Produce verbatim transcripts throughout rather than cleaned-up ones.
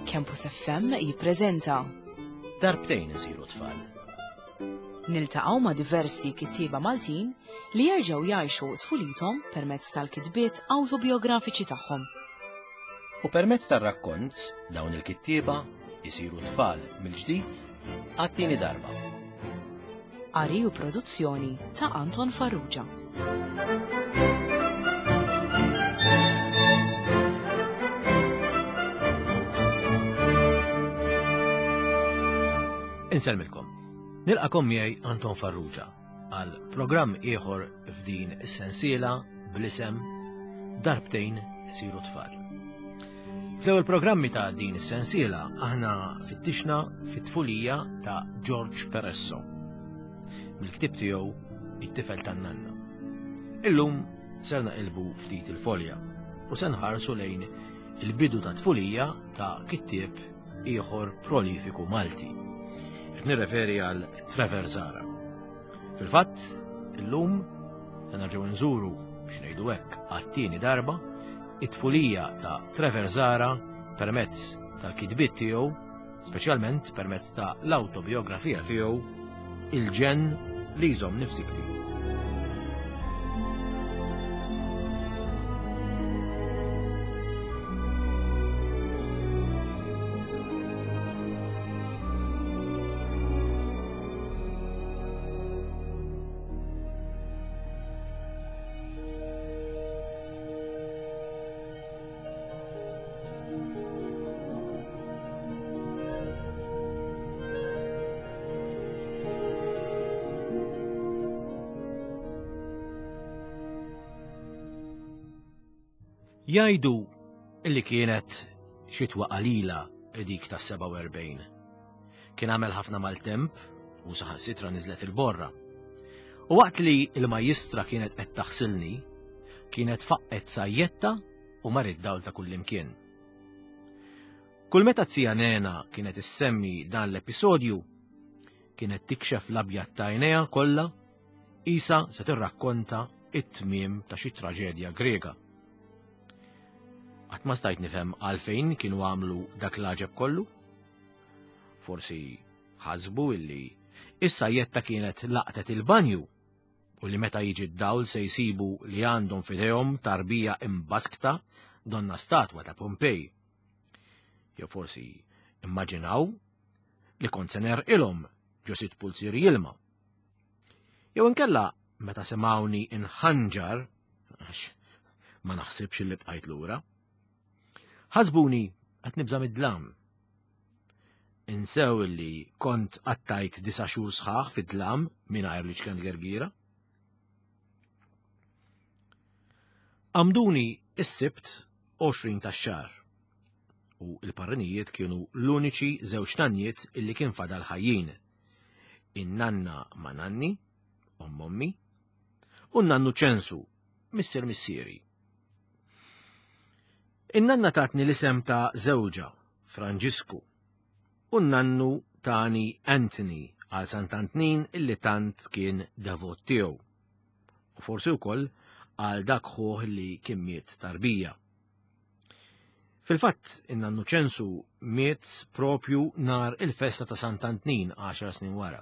Campus F M jippreżenta Darbtejn isiru tfal. Niltaqgħu ma' diversi kittieba Maltin li jerġgħu jgħixu tfulithom permezz tal-kitbiet awtobiografiċi tagħhom. U permezz tar-rakkont dawn il-kittieba isiru tfal mill-ġdid għat-tieni darba. Qari u produzzjoni ta' Anton Farrugia. Insellmilkom. Nilqagħkom miegħi Anton Farrugia għal programm ieħor f'din is-sensiela bl-isem Darbtejn isiru tfal. Fl-ewwel programmi ta' din is-sensiela aħna fittixna fit-tfulija ta' George Peresso mill-ktieb tiegħu It-tifel tan-nanna. Illum ser naqilbu ftit il-folja u se nħarsu lejn il-bidu ta' tfulija ta' kittieb ieħor prolifiku Malti. Qed nirreferi għal Trevor Zahra. Fil-fatt, illum se nerġgħu nżuru, biex ngħidu hekk, għat-tieni darba it-tfulija ta' Trevor Zahra permezz tal-kitbiet tiegħu, speċjalment permezz ta' l-awtobiografija tiegħu, Il-ġenn li jżommni f'sikti. Jgħidu illi kienet xitwa qalila dik ta' sebgħa u erbgħin. Kien għamel ħafna maltemp u saħansitra niżlet il-borra. U waqt li il-majjistra kienet qed taħsilni, kienet faqqet sajjetta u mar id-dawl ta' kullimkien. Kull meta zija Nena kienet issemmi dan l-episodju, kienet tikxef l-abjad ta' għajnejha kollha, qisha se tirrakkonta it-tmiem ta' xi traġedja Grega. Qatt ma stajt nifhem għalfejn kienu għamlu dak l-għaġeb kollu. Forsi ħasbu illi is-sajjetta kienet laqtet il-banju u li meta jiġi d-dawl se jsibu li għandhom f'idejhom tarbija imbaskta donnha statwa ta' Pompej. Jew forsi immaġinaw li kont se negħrqilhom ġo sitt pulzieri ilma. Jew inkella meta semgħuni inħanġar, għax ma naħsibx li bqajt lura, ħasbuni qed nibża' mid-dlam. Insew illi kont qattajt disa' xhur sħaħ fid-dlam mingħajr l-iċken gergira. Għammduni is-Sibt għoxrin tax-xahar u il-parrinijiet kienu l-uniċi żewġ nanniet illi kien fadal ħajjin. In-nanna ma' nanni, omm ommi, u n-nannu Ċensu, missier missieri. In-nanna tatni l-isem ta' żewġha, Franġisku, u n-nannu tani Anthony għal Sant'Antnin illi tant kien devot tiegħu. U forsi wkoll għal dak ħuh li kien miet tarbija. Fil-fatt, in-nannu Ċensu miet propju nar il-festa ta' Sant'Antnin għaxar snin wara.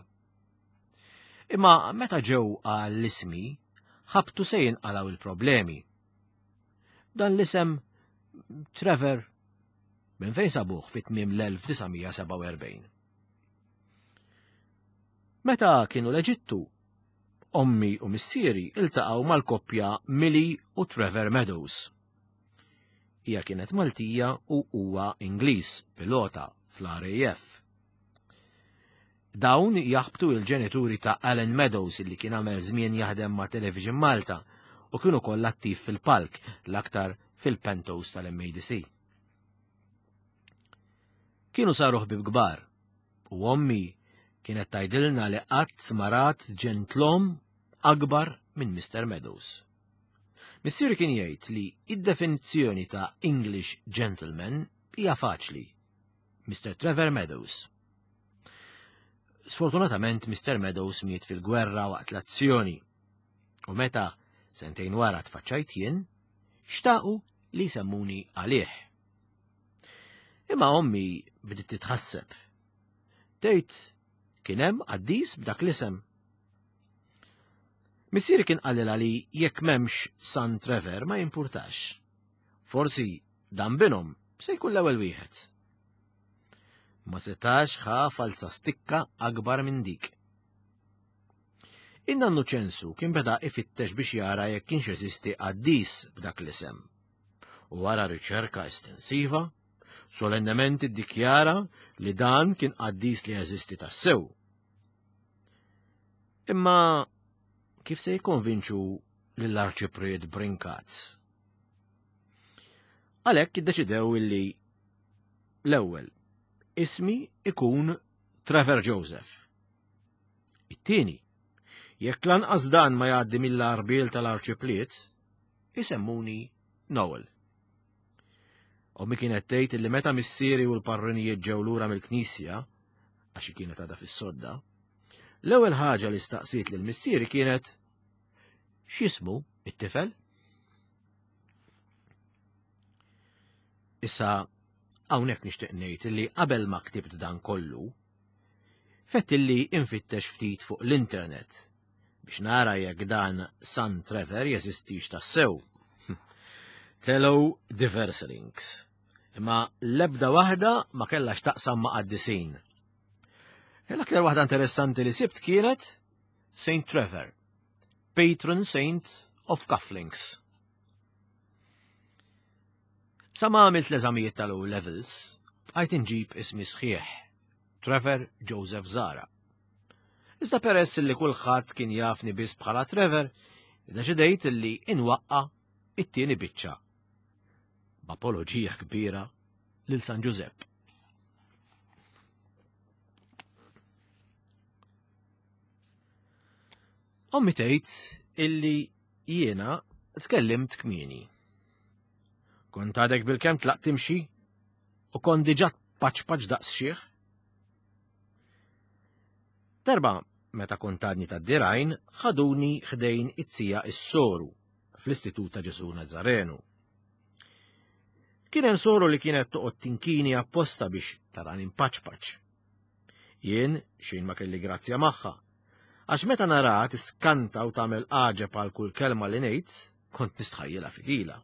Imma meta ġew għall-ismi, ħabtu se jinqalgħu il-problemi. Dan l-isem Trevor minn fejn sabuh fit-tmiem l-elf disa' mija sebgħa u erbgħin? Meta kienu l-Eġittu, ommi u missieri iltaqgħu mal-koppja Millie u Trevor Meadows. Hija kienet Maltija u huwa Ingliż, pilota fl-R A F. Dawn jaħbtu il-ġenituri ta' Alan Meadows illi kien għamel żmien jaħdem ma' Television Malta u kienu koll attiv fil-palk, l-aktar fil-Pentos tal-M A D C. Kienu saru ħbib kbar u ommi kienet tgħidilna li qatt ma rat ġentlom akbar minn Mister Meadows. Missieri kien jgħid li id-definizzjoni ta' English gentleman hija faċli. Mister Trevor Meadows. Sfortunatament Mister Meadows miet fil-gwerra waqt l-azzjoni. U meta sentejn wara tfaċċajt jien, xtaqu li semmuni għalih. Imma ommi bdiet titħasseb. Tgħid kien hemm qaddis b'dak l-isem. Missieri kien qalilha li jekk m'hemmx San Trevor ma jimpurtax. Forsi dan binhom se jkun l-ewwel wieħed. Ma setax ħa falza stikka akbar minn dik. In-nannu Ċensu kien beda ifittex biex jara jekk kienx jeżisti qaddis b'dak l-isem. U wara riċerka estensiva, solennement iddikjara li dan kien qaddis li jeżisti tassew. Imma kif se jikkonvinċu lill-Arċipriet Brincat? Għalhekk iddeċidew illi l-ewwel ismi ikun Trevor Joseph. It-tieni, jekk lanqas dan ma jgħaddi mill-arbil tal-Arċipriet, isemmuni Noel. Ommi kienet tgħid li meta missieri u l-parrinijiet ġew lura mill-knisja, għax kienet għadha fis-sodda, l-ewwel ħaġa li staqsiet lil missieri kienet x'ismu it-tifel? Issa hawnhekk nixtieq ngħid li qabel ma ktibt dan kollu, fett illi infittex ftit fuq l-internet biex nara jekk dan San Trevor jeżistix tassew. Telgħu diversi links, imma l-ebda waħda ma kellha x'taqsam ma' qaddisin. L-aktar waħda interessanti li sibt kienet Saint Trevor, patron saint of cufflinks. Sa ma għamilt l-eżamijiet tal-O levels, bqajt inġib ismi sħiħ, Trevor Joseph Zara. Iżda peress li kulħadd kien jafni biss bħala Trevor, iddeċidejt li inwaqqa' it-tieni biċċa. B'apoloġija kbira lil San Ġużepp. Ommi tgħid illi jiena tkellimt kmieni. Kont għadek bil-kemm tlaqt timxi u kont diġà paċpaċ daqs xieħ. Darba meta kont għadni tad-dirgħajn ħaduni ħdejn it-sija is-soru fl-Istitut ta' Ġesù Nazzarenu. Kien hemm soru li kienet toqgħod tinkini apposta biex tarani mpaċpaċ. Jien xejn ma kelli grazzja magħha, għax meta naraha tiskanta u tagħmel għaġeb għal kull kelma li ngħid, kont nistħajjilha fidila.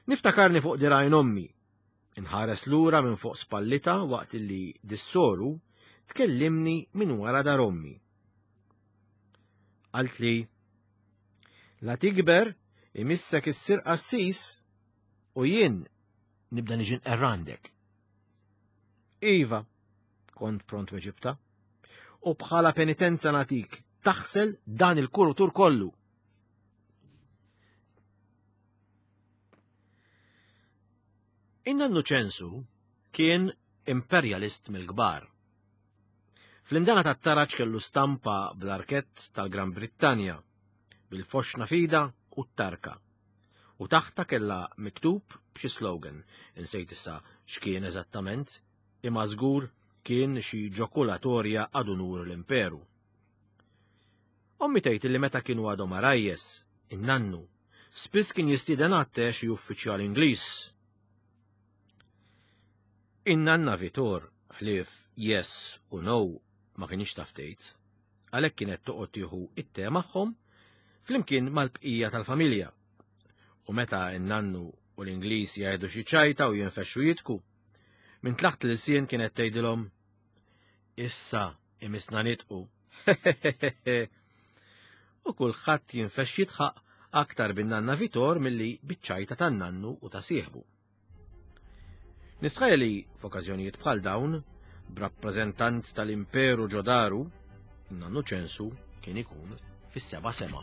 Niftakarni fuq dirgħajn ommi, inħares lura minn fuq spallita waqt li dis-soru tkellimni minn wara dar ommi. Qaltli, la tikber imissek issir qassis u jien nibda niġi nqerrandek. Iva, kont pront weġibta, u bħala penitenza natik taħsel dan il-kurutur kollu. In-nannu Ċensu kien imperjalist mill-kbar. Fl-indana tat-taraġ kellu stampa bl-arkett tal-Gran Brittanja, bil-foxna fida u t-tarka. U taħta kellha miktub b'xi slogan, insejt issa x'kien eżattament, imma żgur kien xi ġokulatorja ad unur l-imperu. Ommi tgħid li meta kienu għadhom arajjes, in-nannu, spiss kien jistieden għatte xi uffiċjal Ingliż. In-nanna Vitor, ħlief yes u no ma kienx taf tgħid, għalhekk kienet toqgħod tieħu it-te magħhom flimkien mal-bqija tal-familja. U meta n-nannu u l-Ingliż jgħidu xi ċajta u jinfexxu jitku, minn tlaħt l-ilsien kienet tgħidilhom issa imisna nitqu. U kulħadd jinfex jitħaq aktar bin-nanna Vitor milli biċ-ċajta tan-nannu u ta' sieħbu. Nistħajja li f'okkażjonijiet bħal dawn, b'rappreżentant tal-Imperu ġodaru, in-nannu Ċensu kien ikun fis-seba' sema.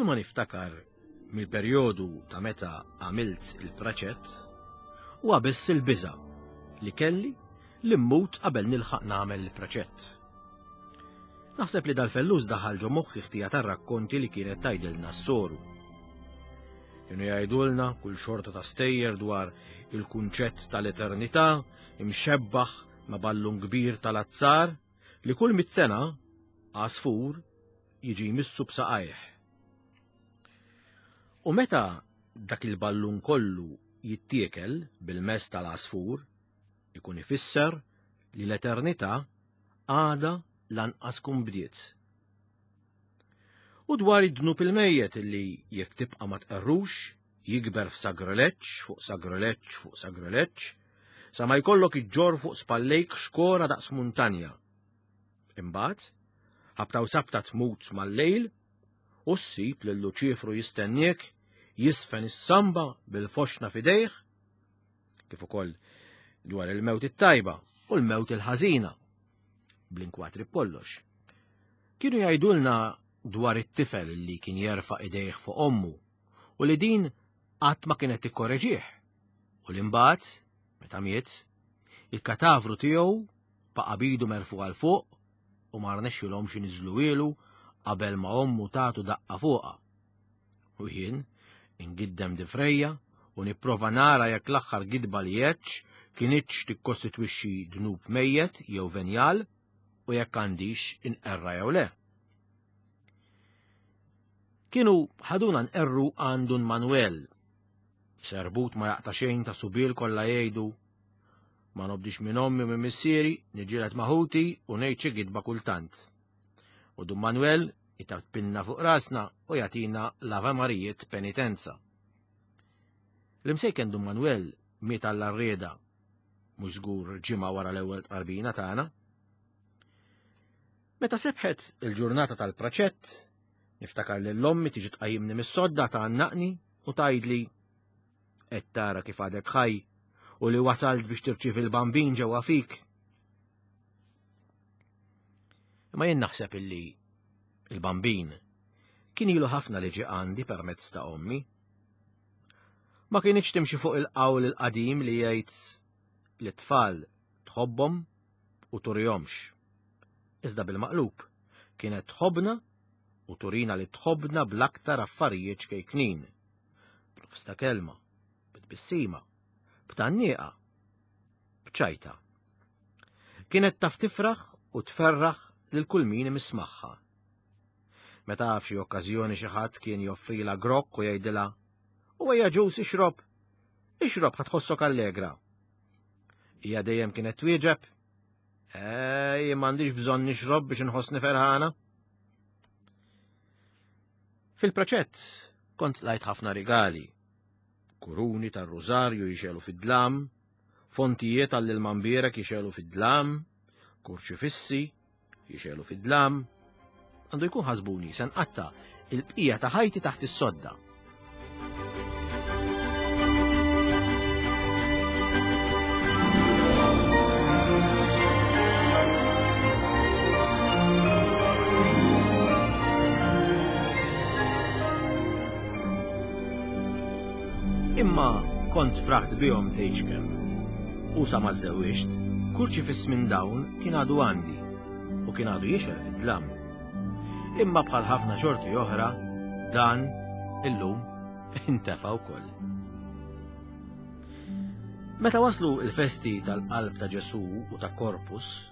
Kull ma niftakar mill-perjodu ta' meta għamilt il-praċett huwa biss il-biża' li kelli li mmut qabel nilħaq nagħmel il-praċett. Naħseb li dal-fellus daħal ġo moħħi ħtija tar-rakkonti li kienet tgħidilna s-soru. Kienu jgħidulna kull xorta ta' stejjer dwar il-kunċett tal-eternità imxebbaħ ma' ballun kbir tal-azzar li kull mit sena għasfur jiġi jmissu b'saqajh. U meta dak il-ballun kollu jittiekel bil-mess tal-għasfur, ikun ifisser li l-eternità għada lanqas kun bdiet. U dwar id-dnub il-mejjet li jekk tibqa' ma tqerrux, jikber f'sagrileġġ fuq sagrileġġ fuq sagrileġġ, sa ma jkollok iġġor fuq spallejk xkora daqs muntanja. Imbagħad, ħabta u sabta tmut mal-lejl, u ssib lil Luċifru jistenniek jisfen is-samba bil-foxna f'idejh, kif ukoll dwar il-mewt it-tajba u l-mewt il-ħażina, bl-inkwatri b'kollox. Kienu jgħidulna dwar it-tifel li kien jerfa' idejh fuq ommu u li din qatt ma kienet tikkoreġih u li mbagħad, meta miet, il-katavru tiegħu baqa' bidu merfu għal fuq u ma rnexxilhomx iniżżluhielu qabel ma ommu tagħtu daqqa fuqha. U jien ingiddem difrejja u nipprova nara jekk l-aħħar gidba li għedx kinitx tikkostitwixxi dnub mejjet jew venjal u jekk għandix inqerra jew le. Kienu ħaduna nqerru għand Dun Manuel, f'serbut ma jaqta' xejn ta' subil kollha jgħidu ma nobdix minn ommi u minn missieri, niġġieled ma' ħuti u ngħid xi gidba kultant. U Dun Manuel itapilna fuq rasna u jagħtina l-Ave Marijiet penitenza. L-imsejken Dun Manuel miet għall-arrieda, mhux żgur ġimgħa wara l-ewwel tqarbina tagħna. Meta sebħet il-ġurnata tal-praċett, niftakar lil ommi tiġi tqajjimni mis-sodda tgħannaqni u tgħidli qed tara kif għadek ħaj u li wasalt biex tirċievi l-bambin ġewwa fik. Imma jien naħseb illi il-bambin kien ilu ħafna li ġie għandi permezz ta' ommi. Ma kienx timxi fuq il-qawl il-qadim li jgħid li t-tfal tħobbhom u turihomx. Iżda bil-maqlub kienet tħobbna u turina li tħobbna bl-aktar affarijiet ċkejknin. B'nofs ta' kelma, b'tbissima, b'tgħannieqa, b'ċajta. Kienet taf tifraħ u tferraħ lil kull min imiss magħha. Meta f'xi okkażjoni xi ħadd kien joffrilha grokk u jgħidilha u ejja ġus ixrob, ixrob ħa tħossok allegra. Hija dejjem kienet twieġeb, ej, m'għandix bżonn nixrob biex inħossni ferħana. Fil-proċett kont lajt ħafna rigali, kuruni tar-rużarju jixelu fid-dlam, fontijiet għall-ilma mbierek jixelu fid-dlam, kurċifissi jixelu fid-dlam. Għandu jkun ħasbuni se nqatta' il-bqija ta' ħajti taħt is-sodda. Imma kont fraħt bihom tgħidx kemm. U sa ma żewwiġt, kurċifiss minn dawn kien għadu għandi u kien għadu jixel fid-dlam. Imma bħal ħafna xorti oħra, dan illum intefa' wkoll. Meta waslu il-festi tal-Qalb ta' Ġesù u ta' Corpus,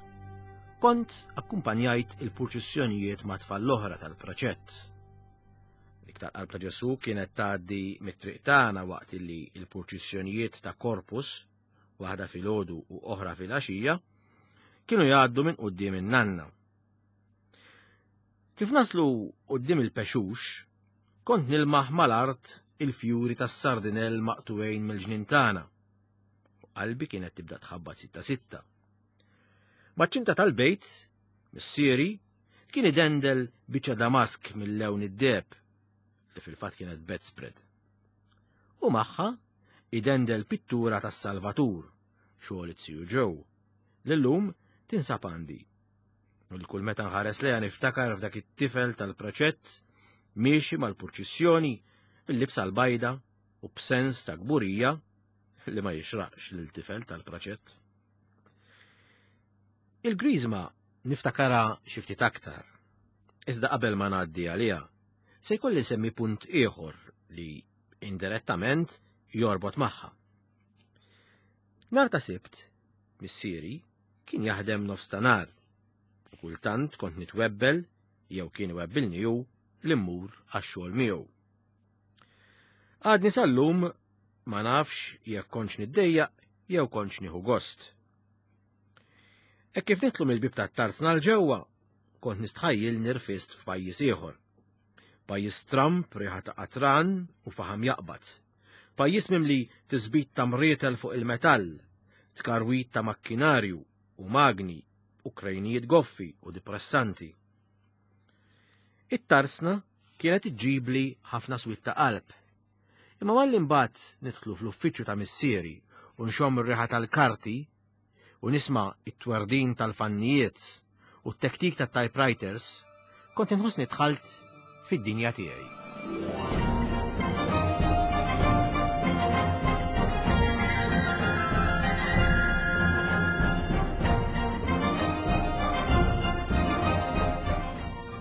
kont akkumpanjajt il-purċissjonijiet ma' tfal l-oħra tal-proċett. Dik tal-Qalb ta' Ġesù kienet tgħaddi mit-triq tagħna waqt li l-purċissjonijiet ta' Corpus, waħda filgħodu u oħra filgħaxija, kienu jgħaddu minn quddiem in-nanna. Kif naslu quddiem il-pexux, kont nilmaħ mal-art il-fjuri tas-sardinell maqtuwejn mill-ġnien tagħna. U qalbi kienet tibda tħabbat sitta sitta. Maċ-ċinta tal-bejt, missieri, kien idendel biċċa damask mill-lewn id-deheb, li fil-fatt kienet bedspread. U magħha idendel pittura tas-Salvatur, xogħol it-siju ġew, li llum tinsab għandi. U li kull meta nħares lejha niftakar f'dak it-tifel tal-proċett miexi mal-purċissjoni bil-libsa l-bajda u b'sens ta' kburija li ma jixraqx lil tifel tal-praċett. Il-Griżma niftakara xi ftit aktar. Iżda qabel ma ngħaddi għaliha, se jkolli nsemmi punt ieħor li indirettament jorbot magħha. Nhar ta' Sibt, missieri kien jaħdem nofs ta' nhar u kultant kont nitwebbel jew kien iwebbilni hu li mmur għax-xogħol miegħu. Għadni sal-lum ma nafx jekk kontx niddejjaq jew kontx nieħu gost. Hekk kif nidħlu mill-bieb tat-tarzna 'l ġewwa, kont nistħajjil nirfist f'pajjiż ieħor. Pajjiż stramb, riħa ta' qatran u faħam jaqbad. Pajjiż mimli tisbit ta' mrietel fuq il-metall, tkarwit ta' makkinarju u magni u krejnijiet goffi u depressanti. It-tarsna kienet iġġibli ħafna swied ta' qalb. Imma malli mbagħad nidħlu fl-uffiċċju ta' missieri u nxomm ir-riħa tal-karti u nisma' it-twerdin tal-fannijiet u t-tektik tat-typewriters, kont inħossni dħalt fid-dinja tiegħi.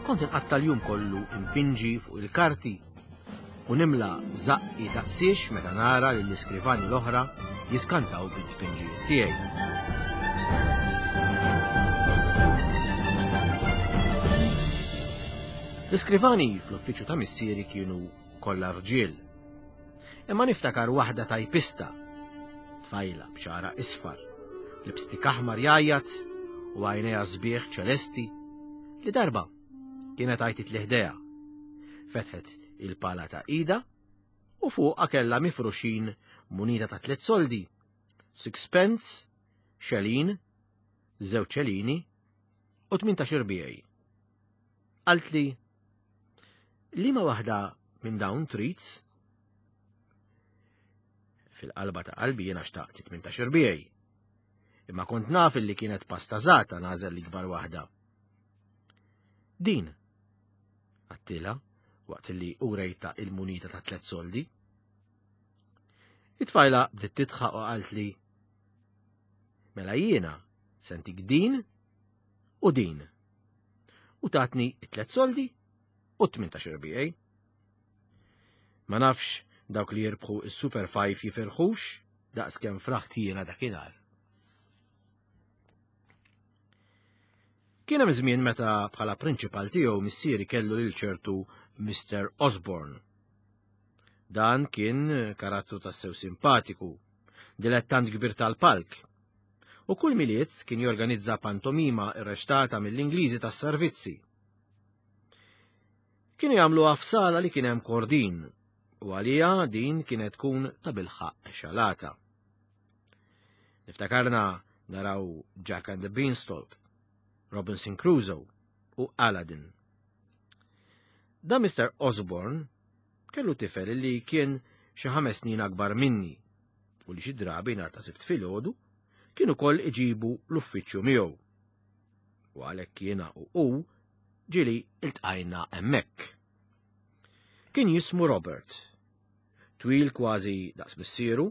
Kont inqatta' l-jum kollu impinġi fuq il-karti u nimla żaqqi daqsiex meta nara lill-iskrivani l-oħra jiskantaw bit-tpinġijiet tiegħi. L-iskrivani fl-uffiċċju ta' missieri kienu kollha rġiel. Imma niftakar waħda tajpista, tfajla b'xagħarha isfar, lipstick aħmar jgħajjat u għajnejha sbieħ ċelesti, li darba kienet għajtit li ħdejha. Fetħet il-pala ta' ida u fuqha kellha mifruxin munita ta' tliet soldi, sixpence, xelin, żewġ xelini u tmintax irbiegħi. Qaltli, liema waħda minn dawn trid? Fil-qalba ta' qalbi jiena xtaqt tmintax irbiegħi. Imma kont naf illi kienet pastażata nagħżel l-ikbar waħda. Din, għattila, waqt li urejta il-munita ta' tliet soldi. It-tfajla bdiet tidħaq u qaltli, mela jiena sentik din u din. U tatni it-tliet soldi u tmintax irbiegħi. Ma nafx dawk li jirbħu is-Super Five jifirħux daqs kemm fraħt jiena dakinhar. Kien hemm żmien meta bħala prinċipal tiegħu missieri kellu lil ċertu Mister Osborne. Dan kien karattru tassew simpatiku, dilettant kbir tal-palk, u kull Milied kien jorganizza pantomima irreċtata mill-Ingliżi tas-servizzi. Kienu jagħmluha f'sala li kien hemm kordin, u għalija din kienet tkun ta' bilħaq xalata. Niftakarna naraw Jack and the Beanstalk, Robinson Crusoe u Aladdin. Da Mister Osborne kellu tifel li kien xi ħames snin akbar minni u li xi drabi nhar ta' Sibt filgħodu kien ukoll iġibu l-uffiċċju miegħu. U għalhekk jiena u hu ġieli iltqajna hemmhekk. Kien jismu Robert, twil kważi daqs missieru,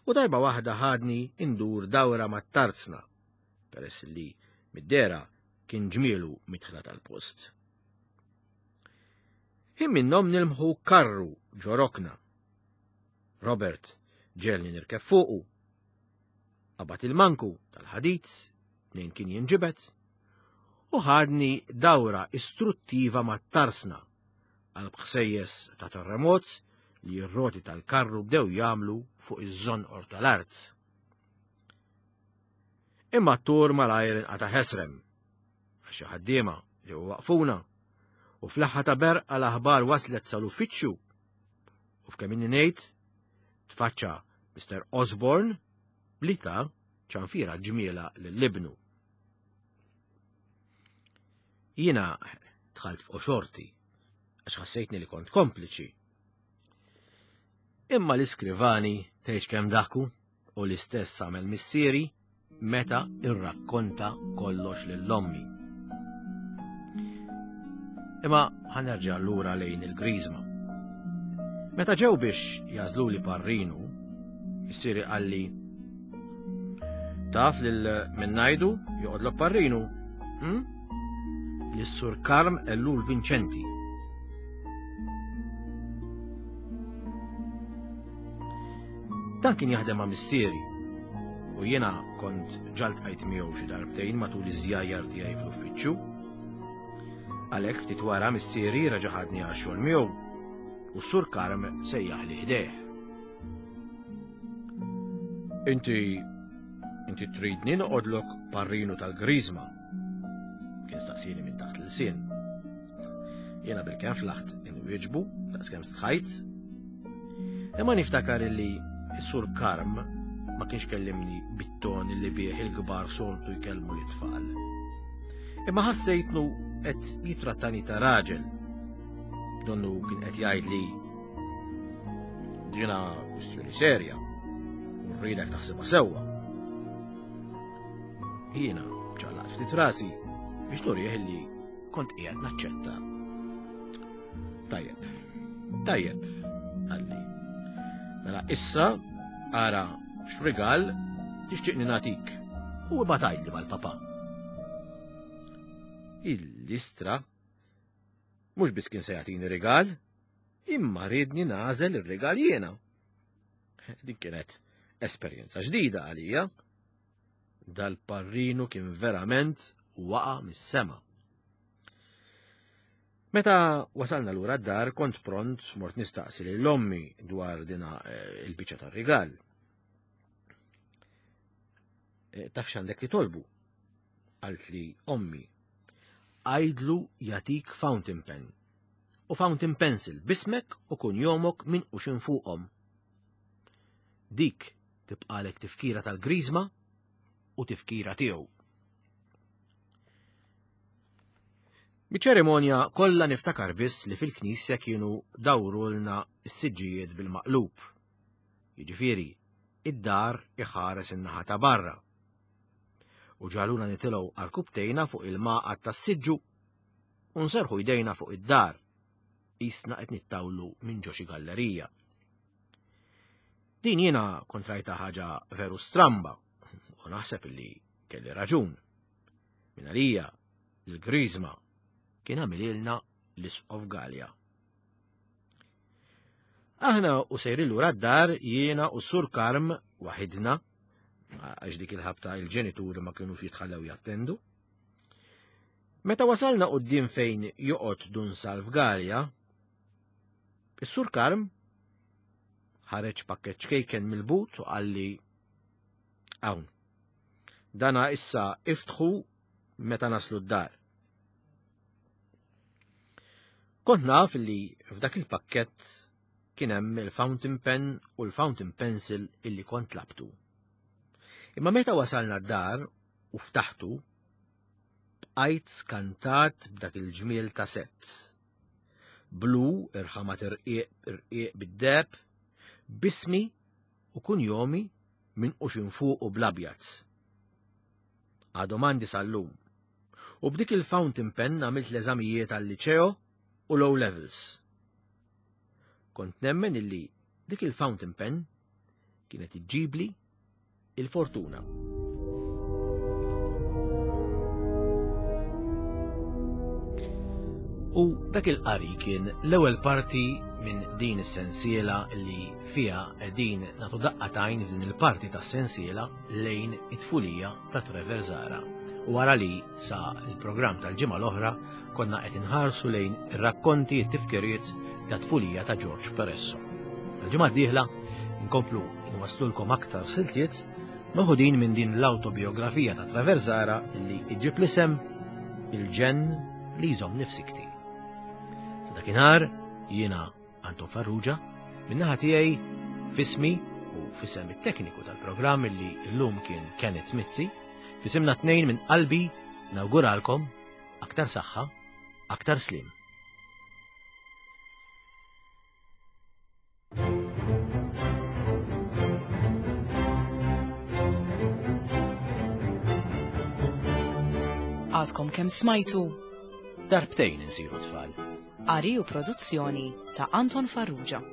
u darba waħda ħadni indur dawra mat-tarzna, peress li mid-dera kien ġmielu midħla tal-post. Ħin minnhom nilmħu karru ġo rokna. Robert ġelni nirkeb fuqu. Qabad il-manku tal-ħadid, nejn kien jinġibed, u ħadni dawra istruttiva mat-tarsna għal bħsejjes ta' terremot li r-roti tal-karru bdew jagħmlu fuq iż-żonqor tal-art. Imma t-tur malajr inqata' ħesrem, għax xi ħaddiema ġew waqfuna, u fl-aħħar ta' berqa l-aħbar waslet sal-uffiċċju. U f'kemm inni ngħid, tfaċċa Mister Osborne li ta' ċanfira ġmiela lil-libnu. Jiena dħalt fuq xorti, għax ħassejtni li kont kompliċi. Imma l-iskrivani tgħidx kemm daħku u l-istess għamel missieri meta irrakkonta kollox lil ommi. Imma ħa nerġa' lura lejn il-Griżma. Meta ġew biex jagħżluli parrinu, missieri qalli taf lil min ngħidu joqgħodlok parrinu, hm? Lis-Sur Karm Ellul Vinċenti. Dan kien jaħdem ma' missieri u jiena kont ġa ltqajt miegħu xi darbtejn matul iż-żjajjar tiegħi fl-uffiċċju. Għalhekk ftit wara missieri reġa' ħadni għax-xogħol miegħu u s-Sur Karm sejjaħli ħdejh. Inti inti tridni noqgħodlok parrinu tal-Griżma? Kien staqsieni minn taħt l-ilsien. Jiena bilkemm flaħt inwieġbu daqskemm stħajt. Imma niftakar illi s-Sur Karm ma kienx kellimni bit-ton li bih il-kbar soltu jkellmu l-tfal. Imma ħassejtnu qed jitrattani ta' raġel. Donnu kien qed jgħidli dina kwistjoni serja u rridek taħsibha sewwa. Jiena ċaqlaqt ftit rasi biex nurih li kont qiegħed naċċetta. Tajjeb, tajjeb, qalli. Mela issa ara x'rigal tixtieqni nagħtik u ibgħat għidli mal-papa. Il-listra mhux biss kien se jagħtini rigal, imma riedni nagħżel ir-rigal jiena. Din kienet esperjenza ġdida għalija. Dal-parrinu kien verament waqa' mis-sema. Meta wasalna lura d-dar kont pront mort nistaqsi lil ommi dwar dina eh, il-biċċa tar-rigal. Eh, taf x'għandek li tolbu? Qaltli ommi. Għidlu jagħtik fountain pen u fountain pencil b'ismek u kunjomok minquxin fuqhom. Dik tibqalek tifkira tal-Griżma u tifkira tiegħu. Miċ-ċerimonja kollha niftakar biss li fil-knisja kienu dawrulna s-siġġijiet bil-maqlub. Jiġifieri, id-dar iħares in-naħa ta' barra. U ġaluna nitilgħu għal-kubtejna fuq il-maqgħad tas-siġġu u nserħu jdejna fuq id-dar. Qisna qed nittawlu minn ġo xi gallerija. Din jiena kont rajta ħaġa veru stramba u naħseb li kelli raġun. Min għalija l-Griżma kien għamililna l-Isqof Galea. Aħna u sejrin lura d-dar jiena u Sur Karm waħidna, għax dik il-ħabta il-ġenituri ma kienux jitħallew jattendu. Meta wasalna quddiem fejn joqgħod Dun Salv Galea, is-Sur Karm ħareġ pakkett ċkejken mill-but u qalli hawn. Dana issa iftħu meta naslu d-dar. Kont naf li f'dak il-pakkett kien hemm il-fountain pen u l-fountain pencil illi kont tlabtu. Imma meta wasalna d-dar u ftaħtu, bqajt skantat b'dak il-ġmiel ta' sett. Blu irħamat irqiq irqiq bid-deheb, b'ismi u kunjomi minquxin fuq u bl-abjad. Għadhom għandi sal-lum. U b'dik il-fountain pen għamilt l-eżamijiet għal-liċeo u l-O levels. Kont nemmen illi dik il-fountain pen kienet iġġibli il-fortuna. U dak il-qari kien l-ewwel parti minn din is-sensiela li fiha qegħdin nagħtu daqqa t'għajn f'din il-parti tas-sensiela lejn it-tfulija ta' Trevor Zahra. U wara li sa l-programm tal-ġimgħa l-oħra konna qed inħarsu lejn ir-rakkonti t-tifkiriet ta' tfulija ta' George Peresso. Il-ġimgħa d-dieħla nkomplu nwaslulkom aktar siltiet meħudin minn din l-autobiografija ta' Trevor Zahra li iġib l-isem Il-ġenn li jżomm nifsikti. Sa dakinhar jiena Anton Farrugia, min-naħa tiegħi f'ismi u f'isem it-tekniku tal-programm li llum kien Kenneth Mizzi, f'isimna tnejn minn qalbi nawguralkom aktar saħħa, aktar slim. Għadkom kemm smajtu Darbtejn insiru tfal. Qari u produzzjoni ta' Anton Farrugia.